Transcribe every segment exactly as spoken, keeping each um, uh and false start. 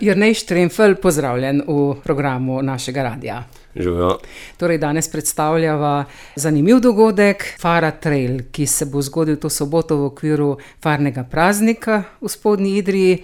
Jernej Štremfelj, pozdravljen v programu našega radia. Živijo. Torej, danes predstavljava zanimiv dogodek, Fara Trail, ki se bo zgodil to soboto v okviru farnega praznika v Spodnji Idriji.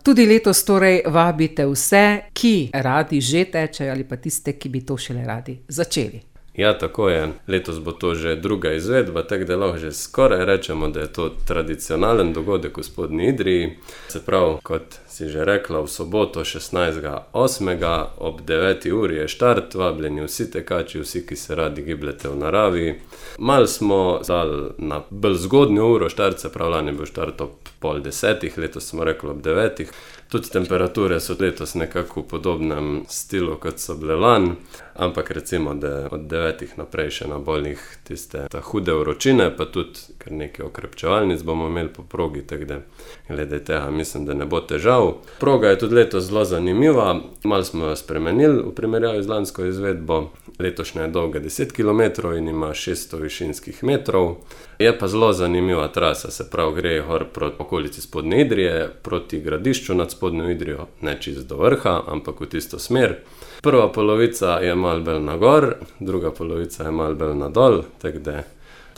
Tudi letos torej vabite vse, ki radi že tečejo ali pa tiste, ki bi to šele radi začeli. Ja, tako je. Letos bo to že druga izvedba, tako da lahko že skoraj rečemo, da je to tradicionalen dogodek v Spodnji Idriji. Se pravi, kot si že rekla, v soboto šestnajstega osmega ob deveti uri je štart, vabljeni vsi tekači, vsi, ki se radi gibljete v naravi. Mal smo dali na bolj zgodnjo uro štart, se pravi, lani je bil štart ob pol desetih, letos smo rekli ob devetih. Tudi temperature so letos nekako v podobnem stilu, kot so bile lani, ampak recimo, da od devetih naprej še na boljih tiste ta hude vročine, pa tudi kar nekaj okrepčevalnic bomo imeli po progi, tako da glede tega mislim, da ne bo težav. Proga je tudi letos zelo zanimiva, malo smo jo spremenili v primerjavi z lansko izvedbo. Letošnja je dolga deset kilometrov in ima šeststo višinskih metrov. Je pa zelo zanimiva trasa, se pravi, gre gor proti okolici Spodnje Idrije, proti Gradišču nad Spodnjo Idrijo, ne čisto do vrha, ampak v tisto smer. Prva polovica je malo bolj na gor, druga polovica je malo bolj na dol, tako da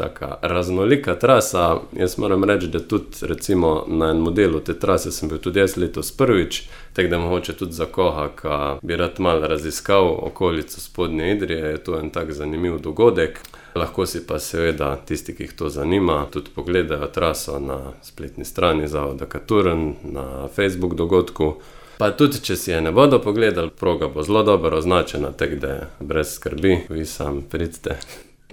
taka raznolika trasa. Jaz moram reči, da tudi recimo na enem modelu te trase sem bil tudi jaz letos prvič, tako da mogoče tudi za koga, ki bi rad malo raziskal okolico Spodnje Idrije, je to en tak zanimiv dogodek. Lahko si pa seveda tisti, ki jih to zanima, tudi pogledajo traso na spletni strani Zavoda Katurn, na Facebook dogodku. Pa tudi, če si je ne bodo pogledali, proga bo zelo dobro označena, tako da brez skrbi, vi sam pridite.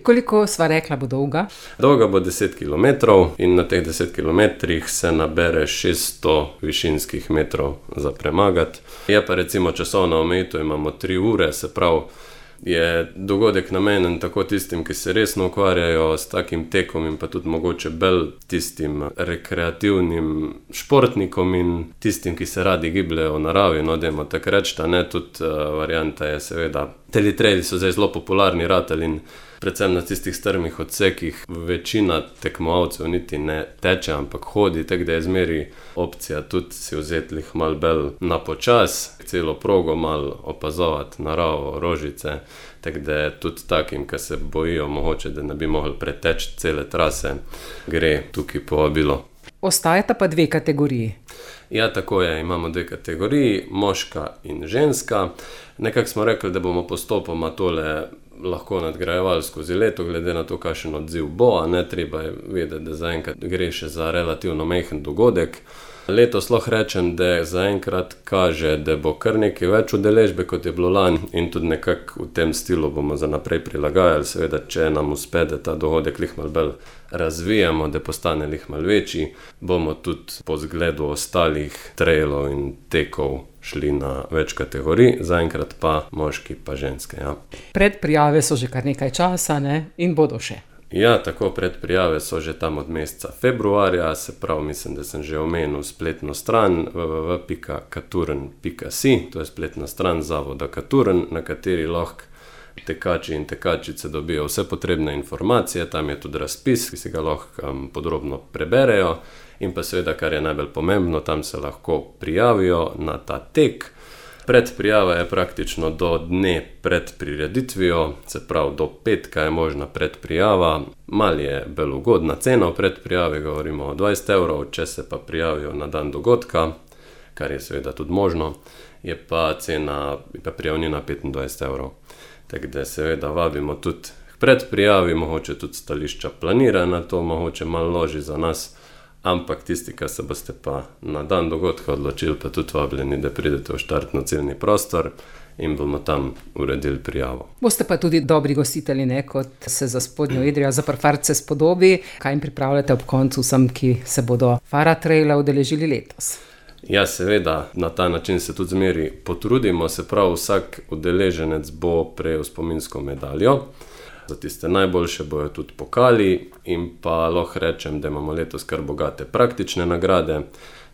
Koliko sva rekla bo dolga? Dolga bo deset kilometrov in na teh deset kilometrih se nabere šeststo višinskih metrov za premagati. Je pa recimo časovna omejitev, imamo tri ure, se pravi, je dogodek namenjen tako tistim, ki se resno ukvarjajo s takim tekom in pa tudi mogoče bolj tistim rekreativnim športnikom in tistim, ki se radi gibljejo v naravi, no dajmo tako reči, ne, tudi uh, varianta je seveda, teli traili so zdaj zelo popularni ratali in predvsem na tistih strmih odsekih večina tekmovalcev niti ne teče, ampak hodi, tako da je zmeri opcija tudi si vzeti lih malo bolj na počas, celo progo malo opazovati, naravo, rožice, tako da je tudi takim, ki se bojijo mogoče, da ne bi mogli preteči cele trase, gre tukaj povabilo. Ostajata pa dve kategoriji. Ja, tako je, imamo dve kategoriji, moška in ženska. Nekako smo rekli, da bomo postopoma tole lahko nadgrajevali skozi leto, glede na to, kakšen odziv bo, a ne treba je vedeti, da zaenkrat gre še za relativno majhen dogodek. Letos lahko rečem, da zaenkrat kaže, da bo kar nekaj več udeležbe, kot je bilo lani in tudi nekako v tem stilu bomo za naprej prilagajali. Seveda, če nam uspe, da ta dogodek lih malo bolj razvijamo, da postane lih malo večji, bomo tudi po zgledu ostalih trailov in tekov šli na več kategorij, zaenkrat pa moški pa ženske, ja. Predprijave so že kar nekaj časa, ne? In bodo še. Ja, tako predprijave so že tam od meseca februarja, se pravi, mislim, da sem že omenil spletno stran w w w pika katurn pika si, to je spletna stran Zavoda Katurn, na kateri lahko tekači in tekačice dobijo vse potrebne informacije, tam je tudi razpis, ki si ga lahko um, podrobno preberejo in pa seveda, kar je najbolj pomembno, tam se lahko prijavijo na ta tek. Predprijava je praktično do dne pred prireditvijo, se pravi do petka je možna predprijava. Mal je bolj ugodna cena v predprijavi, govorimo o dvajset evrov, če se pa prijavijo na dan dogodka, kar je seveda tudi možno, je pa cena, je pa prijavnina petindvajset evrov. Tako da seveda vabimo tudi k predprijavi, mogoče tudi stališča planira na to, mogoče malo loži za nas, ampak tisti, ki se boste pa na dan dogodka odločili, pa tudi vabljeni, da pridete v štartno-ciljni prostor in bomo tam uredili prijavo. Boste pa tudi dobri gostitelji, ne, kot se za Spodnjo Idrijo, za Farce spodobi. Kaj jim pripravljate ob koncu vsem, ki se bodo Fara Traila udeležili letos? Ja, seveda, na ta način se tudi zmeri potrudimo, se pravi, vsak udeleženec bo prejel spominsko medaljo. Za tiste najboljše bojo tudi pokali in pa lahko rečem, da imamo letos kar bogate praktične nagrade,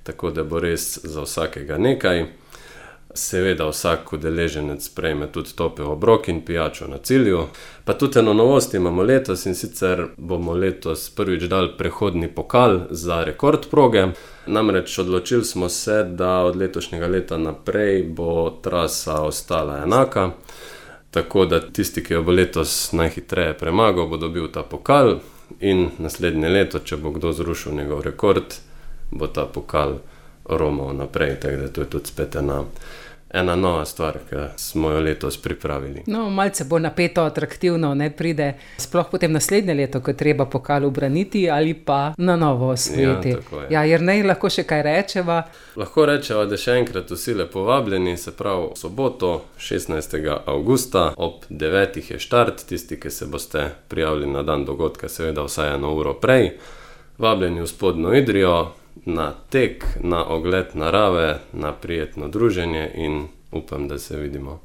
tako da bo res za vsakega nekaj. Seveda vsak udeleženec prejme tudi topel obrok in pijačo na cilju. Pa tudi eno novost imamo letos, in sicer bomo letos prvič dali prehodni pokal za rekord proge. Namreč odločili smo se, da od letošnjega leta naprej bo trasa ostala enaka. Tako da tisti, ki jo bo letos najhitreje premagal, bo dobil ta pokal, in naslednje leto, če bo kdo zrušil njegov rekord, bo ta pokal romal naprej. Tako da to je tudi spet ena, ena nova stvar, ki smo jo letos pripravili. No, malce bo napeto, atraktivno, ne pride sploh potem naslednje leto, ko treba pokal ubraniti ali pa na novo osvojiti. Ja, tako je. Ja, Jernej, lahko še kaj rečeva? Lahko rečeva, da še enkrat vsi lepo vabljeni, se pravi v soboto, šestnajstega avgusta, ob devetih je štart. Tisti, ki se boste prijavili na dan dogodka, seveda vsaj eno uro prej. Vabljeni v Spodnjo Idrijo, na tek, na ogled narave, na prijetno druženje, in upam, da se vidimo.